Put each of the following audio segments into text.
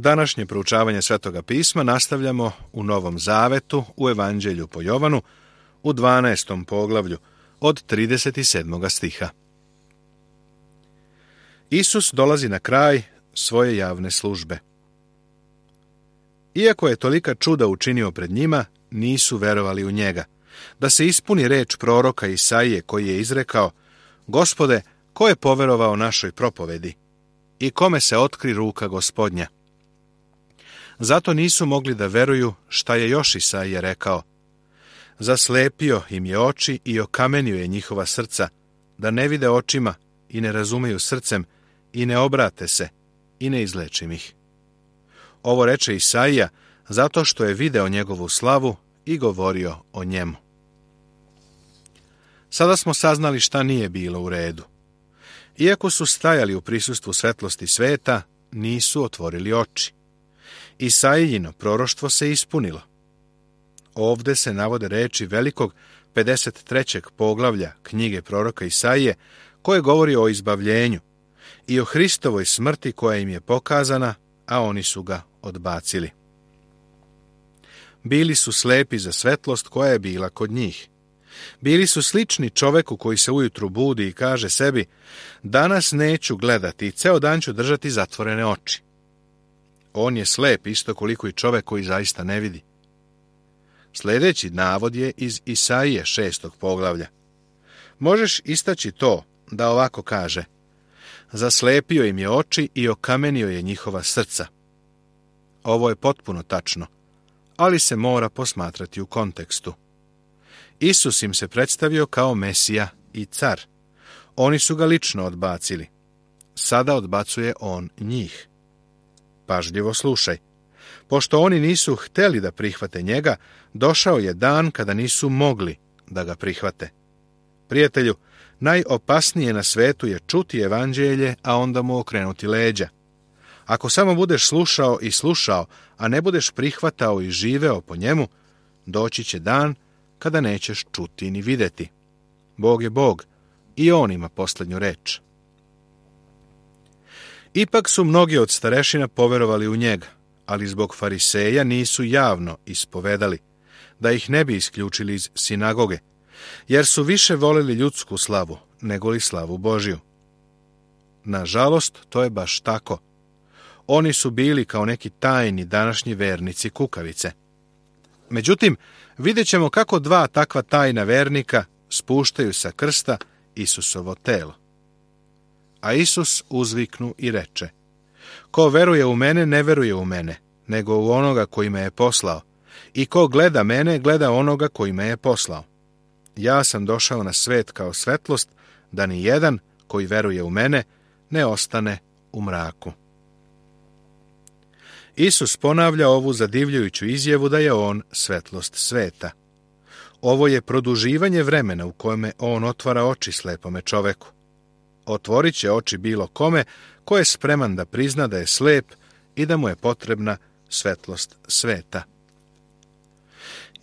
Današnje proučavanje Svetoga pisma nastavljamo u Novom Zavetu, u Evanđelju po Jovanu, u 12. poglavlju, od 37. stiha. Isus dolazi na kraj svoje javne službe. Iako je tolika čuda učinio pred njima, nisu verovali u njega, da se ispuni reč proroka Isaije koji je izrekao: Gospode, ko je poverovao našoj propovedi i kome se otkri ruka Gospodnja? Zato nisu mogli da veruju šta je još Isaija rekao: Zaslepio im je oči i okamenio je njihova srca, da ne vide očima i ne razumeju srcem i ne obrate se i ne izlečim ih. Ovo reče Isaija zato što je video njegovu slavu i govorio o njemu. Sada smo saznali šta nije bilo u redu. Iako su stajali u prisustvu svetlosti sveta, nisu otvorili oči. Isaijino proroštvo se ispunilo. Ovde se navode reči velikog 53. poglavlja knjige proroka Isaije, koje govori o izbavljenju i o Hristovoj smrti koja im je pokazana, a oni su ga odbacili. Bili su slepi za svetlost koja je bila kod njih. Bili su slični čoveku koji se ujutru budi i kaže sebi: danas neću gledati i ceo dan ću držati zatvorene oči. On je slep isto koliko i čovek koji zaista ne vidi. Sljedeći navod je iz Isaije 6. poglavlja. Možeš istaći to da ovako kaže: zaslepio im je oči i okamenio je njihova srca. Ovo je potpuno tačno, ali se mora posmatrati u kontekstu. Isus im se predstavio kao Mesija i car. Oni su ga lično odbacili. Sada odbacuje on njih. Pažljivo slušaj. Pošto oni nisu hteli da prihvate njega, došao je dan kada nisu mogli da ga prihvate. Prijatelju, najopasnije na svetu je čuti evanđelje, a onda mu okrenuti leđa. Ako samo budeš slušao i slušao, a ne budeš prihvatao i živeo po njemu, doći će dan kada nećeš čuti ni videti. Bog je Bog i on ima posljednju reč. Ipak su mnogi od starešina poverovali u njega, ali zbog fariseja nisu javno ispovedali, da ih ne bi isključili iz sinagoge, jer su više voleli ljudsku slavu nego li slavu Božju. Nažalost, to je baš tako. Oni su bili kao neki tajni današnji vernici kukavice. Međutim, vidjet ćemo kako dva takva tajna vernika spuštaju sa krsta Isusovo telo. A Isus uzviknu i reče: ko veruje u mene, ne veruje u mene, nego u onoga koji me je poslao. I ko gleda mene, gleda onoga koji me je poslao. Ja sam došao na svet kao svetlost, da ni jedan koji veruje u mene ne ostane u mraku. Isus ponavlja ovu zadivljujuću izjavu da je on svetlost sveta. Ovo je produživanje vremena u kojem on otvara oči slepome čoveku. Otvorit će oči bilo kome ko je spreman da prizna da je slep i da mu je potrebna svetlost sveta.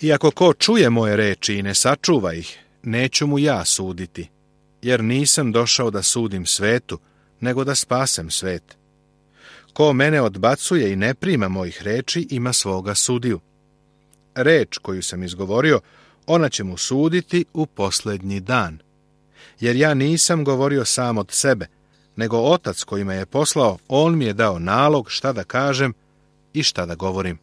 Iako ko čuje moje reči i ne sačuva ih, neću mu ja suditi, jer nisam došao da sudim svetu, nego da spasem svet. Ko mene odbacuje i ne prima mojih reči, ima svoga sudiju. Reč koju sam izgovorio, ona će mu suditi u posljednji dan. Jer ja nisam govorio sam od sebe, nego Otac koji me je poslao, on mi je dao nalog šta da kažem i šta da govorim.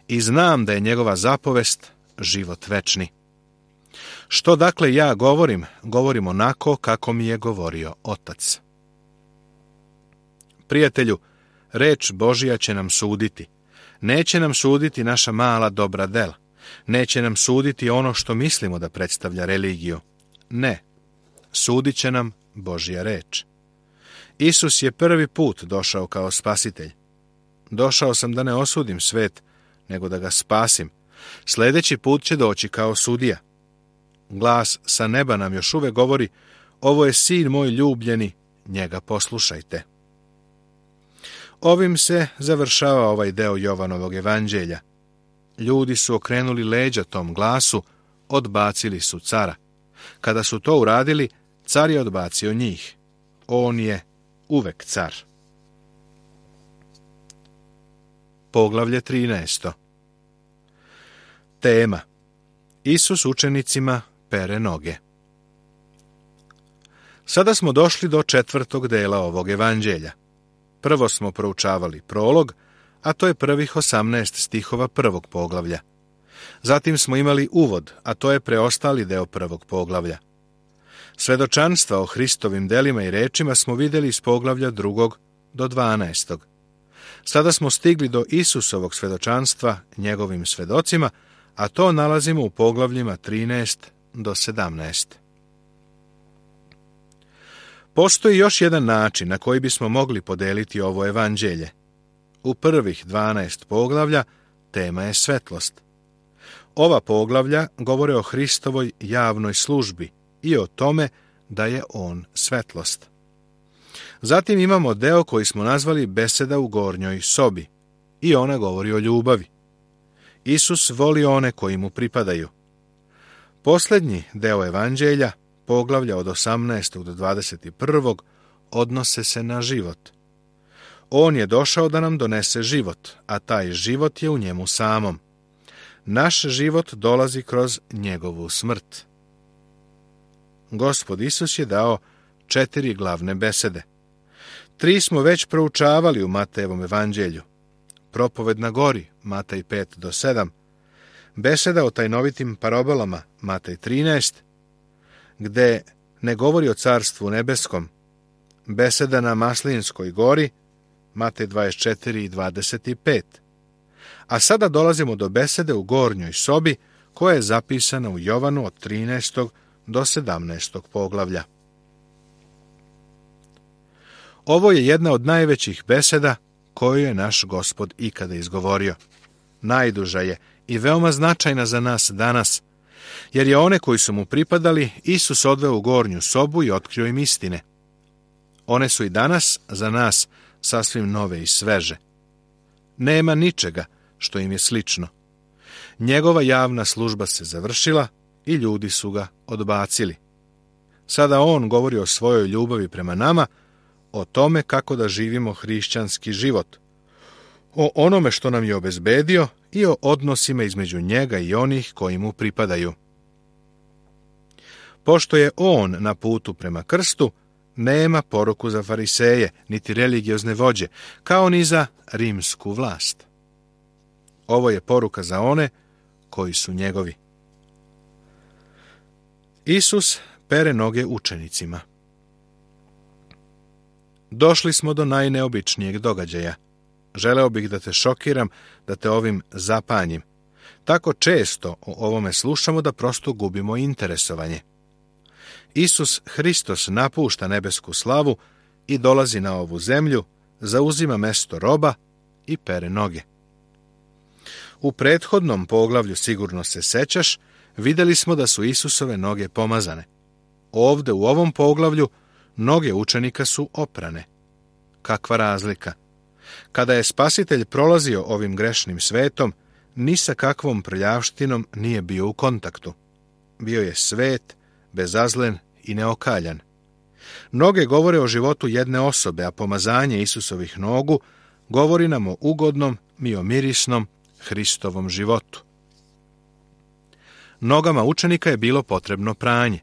I znam da je njegova zapovest život večni. Što dakle ja govorim, govorim onako kako mi je govorio Otac. Prijatelju, reč Božja će nam suditi. Neće nam suditi naša mala dobra dela. Neće nam suditi ono što mislimo da predstavlja religiju. Ne, sudit će nam Božja reč. Isus je prvi put došao kao spasitelj. Došao sam da ne osudim svet, nego da ga spasim. Sljedeći put će doći kao sudija. Glas sa neba nam još uvek govori: ovo je sin moj ljubljeni, njega poslušajte. Ovim se završava ovaj deo Jovanovog evanđelja. Ljudi su okrenuli leđa tom glasu, odbacili su cara. Kada su to uradili, car je odbacio njih. On je uvek car. poglavlje 13. Tema: Isus učenicima pere noge. Sada smo došli do 4. dela ovog evanđelja. Prvo smo proučavali prolog, a to je prvih 18 stihova 1. poglavlja. Zatim smo imali uvod, a to je preostali deo 1. poglavlja. Svedočanstva o Hristovim delima i rečima smo vidjeli iz poglavlja 2. do 12. Sada smo stigli do Isusovog svedočanstva njegovim svedocima, a to nalazimo u poglavljima 13 do 17. Postoji još jedan način na koji bismo mogli podeliti ovo evanđelje. U prvih 12 poglavlja tema je svetlost. Ova poglavlja govore o Hristovoj javnoj službi i o tome da je on svetlost. Zatim imamo deo koji smo nazvali beseda u gornjoj sobi i ona govori o ljubavi. Isus voli one koji mu pripadaju. Posljednji deo evanđelja, poglavlja od 18. do 21. odnose se na život. On je došao da nam donese život, a taj život je u njemu samom. Naš život dolazi kroz njegovu smrt. Gospod Isus je dao 4 glavne besede. 3 smo već proučavali u Matejevom evanđelju. Propoved na gori, Matej 5 do 7, beseda o tajnovitim parabolama, Matej 13, gde ne govori o carstvu nebeskom, beseda na Maslinskoj gori, Matej 24 i 25. A sada dolazimo do besede u gornjoj sobi, koja je zapisana u Jovanu od 13. do 17. poglavlja. Ovo je jedna od najvećih beseda koju je naš Gospod ikada izgovorio. Najduža je i veoma značajna za nas danas, jer je one koji su mu pripadali Isus odveo u gornju sobu i otkrio im istine. One su i danas za nas sasvim nove i sveže. Nema ničega što im je slično. Njegova javna služba se završila i ljudi su ga odbacili. Sada on govori o svojoj ljubavi prema nama, o tome kako da živimo hrišćanski život, o onome što nam je obezbedio i o odnosima između njega i onih koji mu pripadaju. Pošto je on na putu prema krstu, nema poruku za fariseje, niti religiozne vođe, kao ni za rimsku vlast. Ovo je poruka za one koji su njegovi. Isus pere noge učenicima. Došli smo do najneobičnijeg događaja. Želeo bih da te šokiram, da te ovim zapanjim. Tako često o ovome slušamo da prosto gubimo interesovanje. Isus Hristos napušta nebesku slavu i dolazi na ovu zemlju, zauzima mesto roba i pere noge. U prethodnom poglavlju, sigurno se sećaš, vidjeli smo da su Isusove noge pomazane. Ovde u ovom poglavlju noge učenika su oprane. Kakva razlika! Kada je Spasitelj prolazio ovim grešnim svetom, ni sa kakvom prljavštinom nije bio u kontaktu. Bio je svet, bezazlen i neokaljan. Noge govore o životu jedne osobe, a pomazanje Isusovih nogu govori nam o ugodnom i o mirisnom Hristovom životu. Nogama učenika je bilo potrebno pranje.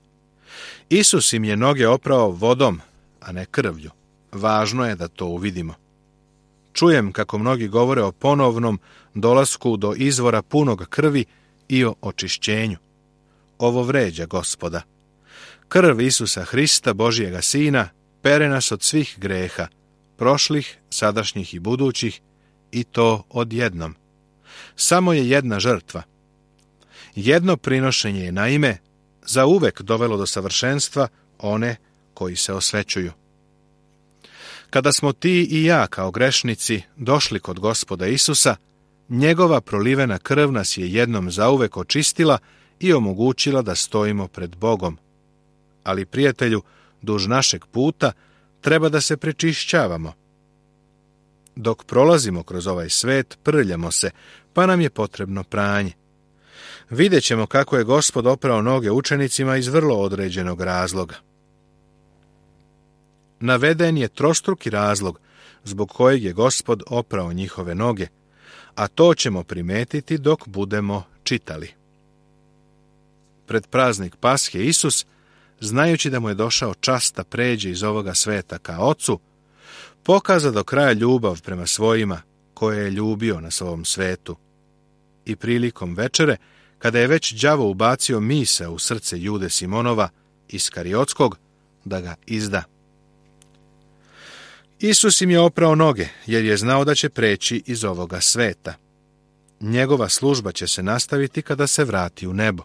Isus im je noge oprao vodom, a ne krvlju. Važno je da to uvidimo. Čujem kako mnogi govore o ponovnom dolasku do izvora punog krvi i o očišćenju. Ovo vređa Gospoda. Krv Isusa Hrista, Božijega Sina, pere nas od svih greha, prošlih, sadašnjih i budućih, i to odjednom. Samo je jedna žrtva. Jedno prinošenje je naime zauvek dovelo do savršenstva one koji se osvećuju. Kada smo ti i ja kao grešnici došli kod Gospoda Isusa, njegova prolivena krv nas je jednom zauvek očistila i omogućila da stojimo pred Bogom. Ali, prijatelju, duž našeg puta treba da se prečišćavamo. Dok prolazimo kroz ovaj svet, prljamo se, pa nam je potrebno pranje. Vidjet ćemo kako je Gospod oprao noge učenicima iz vrlo određenog razloga. Naveden je trostruki razlog zbog kojeg je Gospod oprao njihove noge, a to ćemo primetiti dok budemo čitali. Pred praznik Pashe Isus, znajući da mu je došao čas da pređe iz ovoga sveta ka Ocu, pokaza do kraja ljubav prema svojima koje je ljubio na svom svetu. I prilikom večere, kada je već đavo ubacio misao u srce Jude Simonova Iskariotskog da ga izda. Isus im je oprao noge, jer je znao da će preći iz ovoga sveta. Njegova služba će se nastaviti kada se vrati u nebo.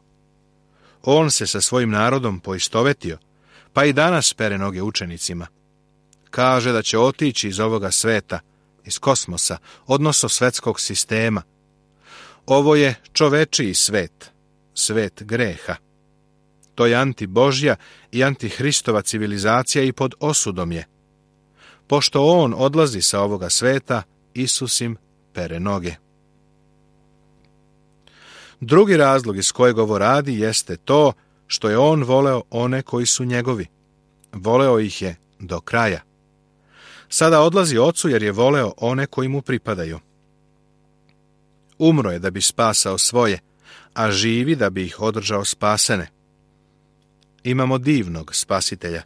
On se sa svojim narodom poistovetio, pa i danas pere noge učenicima. Kaže da će otići iz ovoga sveta, iz kosmosa, odnosno svetskog sistema. Ovo je čovečiji svet, svet greha. To je antibožja i antihristova civilizacija i pod osudom je. Pošto on odlazi sa ovoga sveta, Isus im pere noge. Drugi razlog iz kojeg ovo radi jeste to što je on voleo one koji su njegovi. Voleo ih je do kraja. Sada odlazi Ocu jer je voleo one koji mu pripadaju. Umro je da bi spasao svoje, a živi da bi ih održao spasene. Imamo divnog spasitelja.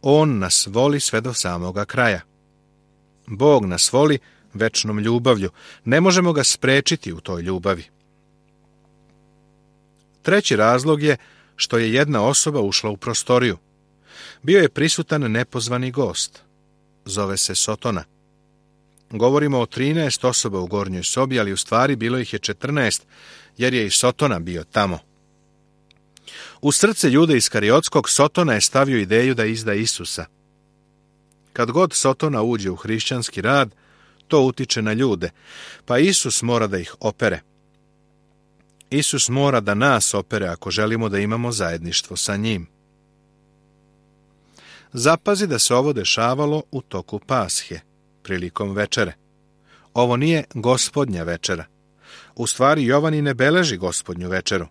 On nas voli sve do samoga kraja. Bog nas voli večnom ljubavlju. Ne možemo ga sprečiti u toj ljubavi. Treći razlog je što je jedna osoba ušla u prostoriju. Bio je prisutan nepozvani gost. Zove se Sotona. Govorimo o 13 osoba u gornjoj sobi, ali u stvari bilo ih je 14, jer je i Sotona bio tamo. U srce Jude Iskariotskog Sotona je stavio ideju da izda Isusa. Kad god Sotona uđe u hrišćanski rad, to utiče na ljude, pa Isus mora da ih opere. Isus mora da nas opere ako želimo da imamo zajedništvo sa njim. Zapazi da se ovo dešavalo u toku Pashe, prilikom večere. Ovo nije gospodnja večera. U stvari Jovan i ne beleži gospodnju večeru.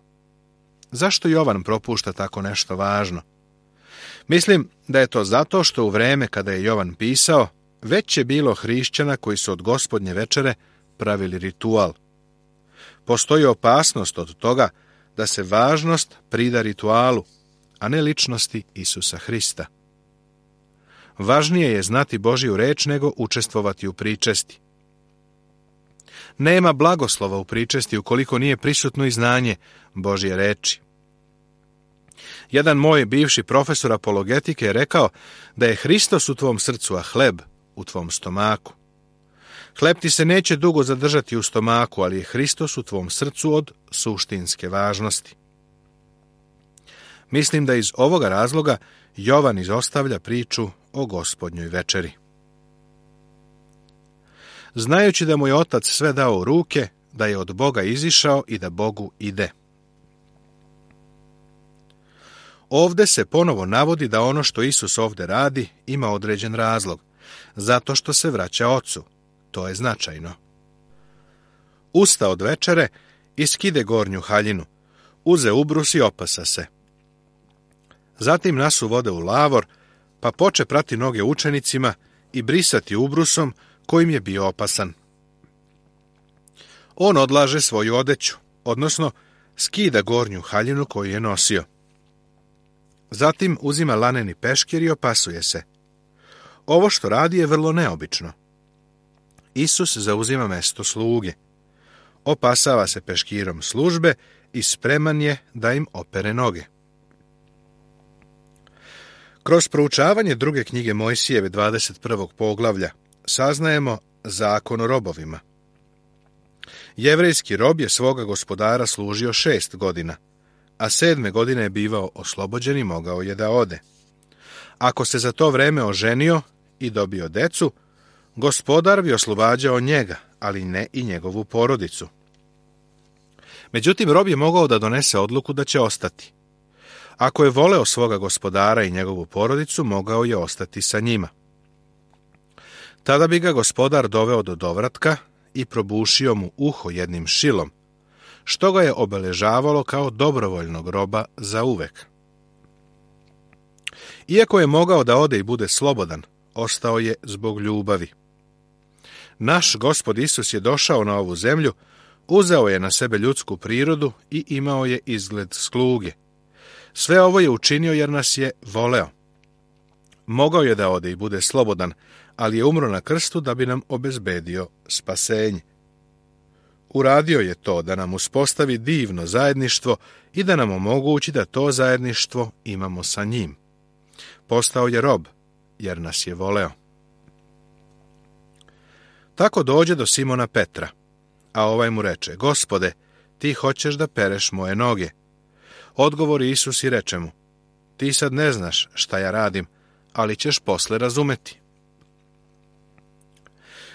Zašto Jovan propušta tako nešto važno? Mislim da je to zato što u vreme kada je Jovan pisao, već je bilo hrišćana koji su od gospodnje večere pravili ritual. Postoji opasnost od toga da se važnost prida ritualu, a ne ličnosti Isusa Hrista. Važnije je znati Božju reč nego učestvovati u pričesti. Nema blagoslova u pričesti ukoliko nije prisutno i znanje Božje reči. Jedan moj bivši profesor apologetike je rekao da je Hristos u tvom srcu, a hleb u tvom stomaku. Hleb ti se neće dugo zadržati u stomaku, ali je Hristos u tvom srcu od suštinske važnosti. Mislim da iz ovoga razloga Jovan izostavlja priču o gospodnjoj večeri. Znajući da mu je Otac sve dao u ruke, da je od Boga izišao i da Bogu ide. Ovde se ponovo navodi da ono što Isus ovde radi ima određen razlog, zato što se vraća Ocu. To je značajno. Usta od večere i skide gornju haljinu, uze ubrus i opasa se. Zatim nasu vode u lavor, pa poče prati noge učenicima i brisati ubrusom kojim je bio opasan. On odlaže svoju odeću, odnosno skida gornju haljinu koju je nosio. Zatim uzima laneni peškir i opasuje se. Ovo što radi je vrlo neobično. Isus zauzima mesto sluge. Opasava se peškirom službe i spreman je da im opere noge. Kroz proučavanje druge knjige Mojsijeve 21. poglavlja saznajemo zakon o robovima. Jevrejski rob je svoga gospodara služio 6 godina, a 7. godine je bivao oslobođen i mogao je da ode. Ako se za to vreme oženio i dobio decu, gospodar bi oslobađao njega, ali ne i njegovu porodicu. Međutim, rob je mogao da donese odluku da će ostati. Ako je voleo svoga gospodara i njegovu porodicu, mogao je ostati sa njima. Tada bi ga gospodar doveo do dovratka i probušio mu uho jednim šilom, što ga je obeležavalo kao dobrovoljnog roba za uvek. Iako je mogao da ode i bude slobodan, ostao je zbog ljubavi. Naš Gospod Isus je došao na ovu zemlju, uzeo je na sebe ljudsku prirodu i imao je izgled sluge. Sve ovo je učinio jer nas je voleo. Mogao je da ode i bude slobodan, ali je umro na krstu da bi nam obezbedio spasenje. Uradio je to da nam uspostavi divno zajedništvo i da nam omogući da to zajedništvo imamo sa njim. Postao je rob, jer nas je voleo. Tako dođe do Simona Petra, a ovaj mu reče: Gospode, ti hoćeš da pereš moje noge. Odgovori Isus i reče mu: ti sad ne znaš šta ja radim, ali ćeš posle razumeti.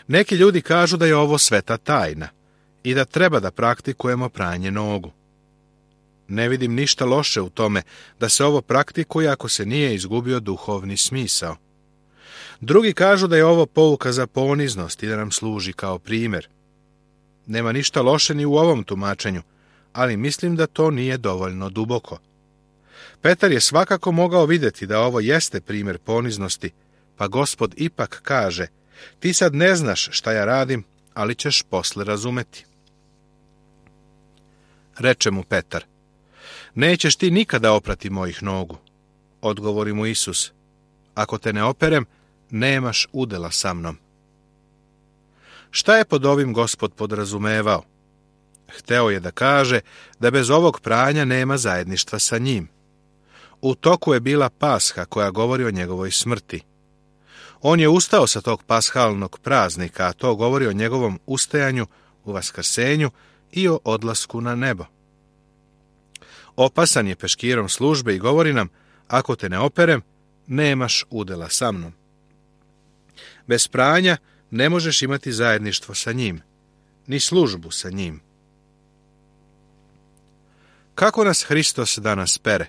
Neki ljudi kažu da je ovo sveta tajna i da treba da praktikujemo pranje nogu. Ne vidim ništa loše u tome da se ovo praktikuje ako se nije izgubio duhovni smisao. Drugi kažu da je ovo pouka za poniznost i da nam služi kao primjer. Nema ništa loše ni u ovom tumačenju, ali mislim da to nije dovoljno duboko. Petar je svakako mogao vidjeti da ovo jeste primjer poniznosti, pa Gospod ipak kaže: ti sad ne znaš šta ja radim, ali ćeš posle razumeti. Reče mu Petar: nećeš ti nikada oprati mojih nogu. Odgovori mu Isus: ako te ne operem, nemaš udela sa mnom. Šta je pod ovim Gospod podrazumevao? Hteo je da kaže da bez ovog pranja nema zajedništva sa njim. U toku je bila Pasha koja govori o njegovoj smrti. On je ustao sa tog pashalnog praznika, a to govori o njegovom ustajanju u vaskrsenju i o odlasku na nebo. Opasan je peškirom službe i govori nam: ako te ne operem, nemaš udela sa mnom. Bez pranja ne možeš imati zajedništvo sa njim, ni službu sa njim. Kako nas Hristos danas pere?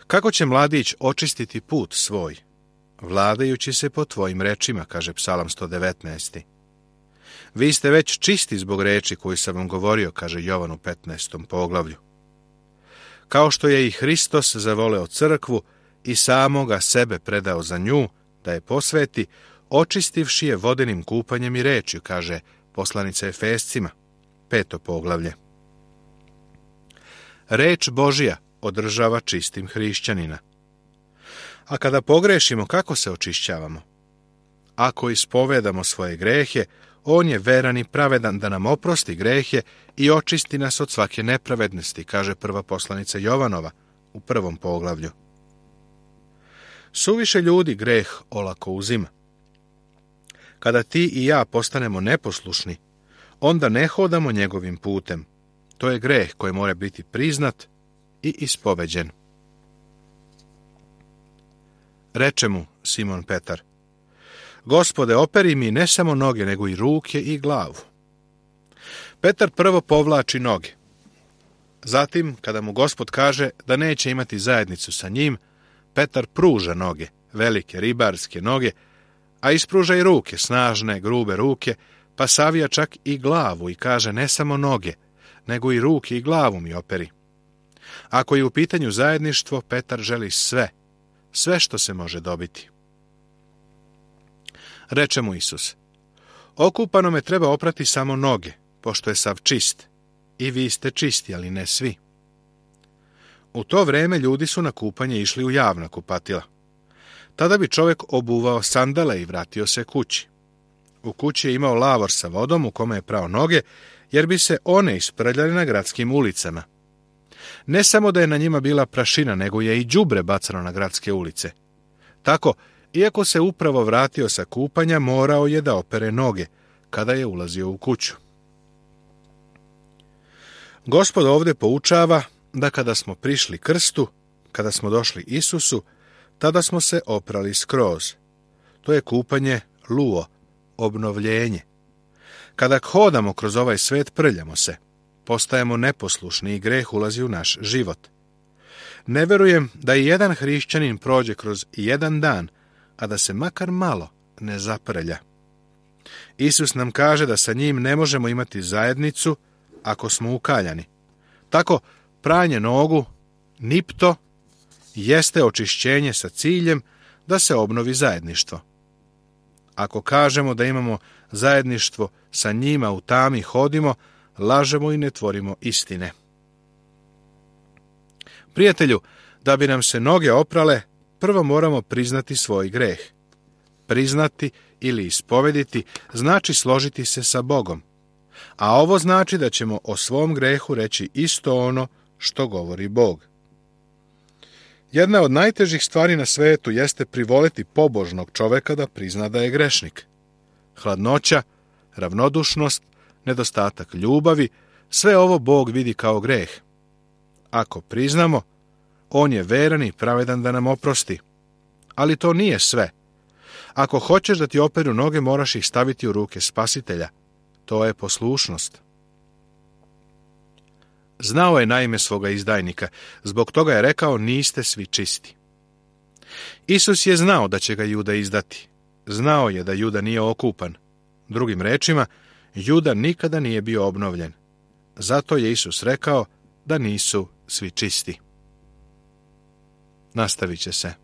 Kako će mladić očistiti put svoj? Vladajući se po tvojim rečima, kaže Psalam 119. Vi ste već čisti zbog reči koju sam vam govorio, kaže Jovan u 15. poglavlju. Kao što je i Hristos zavoleo crkvu i samoga sebe predao za nju, da je posveti, očistivši je vodenim kupanjem i rečju, kaže poslanica Efescima, 5. poglavlje. Reč Božja održava čistim hrišćanina. A kada pogrešimo, kako se očišćavamo? Ako ispovedamo svoje grehe, on je veran i pravedan da nam oprosti grehe i očisti nas od svake nepravednosti, kaže prva poslanica Jovanova u 1. poglavlju. Suviše ljudi greh olako uzima. Kada ti i ja postanemo neposlušni, onda ne hodamo njegovim putem. To je greh koji mora biti priznat i ispoveđen. Reče mu Simon Petar: Gospode, operi mi ne samo noge, nego i ruke i glavu. Petar prvo povlači noge. Zatim, kada mu Gospod kaže da neće imati zajednicu sa njim, Petar pruža noge, velike ribarske noge, a ispruža i ruke, snažne, grube ruke, pa savija čak i glavu i kaže: ne samo noge, nego i ruke i glavu mi operi. Ako je u pitanju zajedništvo, Petar želi sve što se može dobiti. Reče mu Isus: okupanome treba oprati samo noge, pošto je sav čist. I vi ste čisti, ali ne svi. U to vreme ljudi su na kupanje išli u javna kupatila. Tada bi čovjek obuvao sandale i vratio se kući. U kući je imao lavor sa vodom u kome je prao noge, jer bi se one isprljale na gradskim ulicama. Ne samo da je na njima bila prašina, nego je i đubre bacano na gradske ulice. Tako, iako se upravo vratio sa kupanja, morao je da opere noge kada je ulazio u kuću. Gospod ovdje poučava da kada smo prišli krstu, kada smo došli Isusu, tada smo se oprali skroz. To je kupanje luo, obnovljenje. Kada hodamo kroz ovaj svet, prljamo se, postajemo neposlušni i greh ulazi u naš život. Ne verujem da i jedan hrišćanin prođe kroz jedan dan, a da se makar malo ne zaprlja. Isus nam kaže da sa njim ne možemo imati zajednicu ako smo ukaljani. Tako, pranje nogu, nipto, jeste očišćenje sa ciljem da se obnovi zajedništvo. Ako kažemo da imamo zajedništvo sa njima u tami hodimo, lažemo i ne tvorimo istine. Prijatelju, da bi nam se noge oprale, prvo moramo priznati svoj greh. Priznati ili ispovediti znači složiti se sa Bogom. A ovo znači da ćemo o svom grehu reći isto ono što govori Bog. Jedna od najtežih stvari na svetu jeste privoliti pobožnog čoveka da prizna da je grešnik. Hladnoća, ravnodušnost, nedostatak ljubavi, sve ovo Bog vidi kao greh. Ako priznamo, on je veran i pravedan da nam oprosti. Ali to nije sve. Ako hoćeš da ti operu noge, moraš ih staviti u ruke Spasitelja. To je poslušnost. Znao je naime svoga izdajnika, zbog toga je rekao niste svi čisti. Isus je znao da će ga Juda izdati. Znao je da Juda nije okupan. Drugim rečima, Juda nikada nije bio obnovljen. Zato je Isus rekao da nisu svi čisti. Nastavit će se.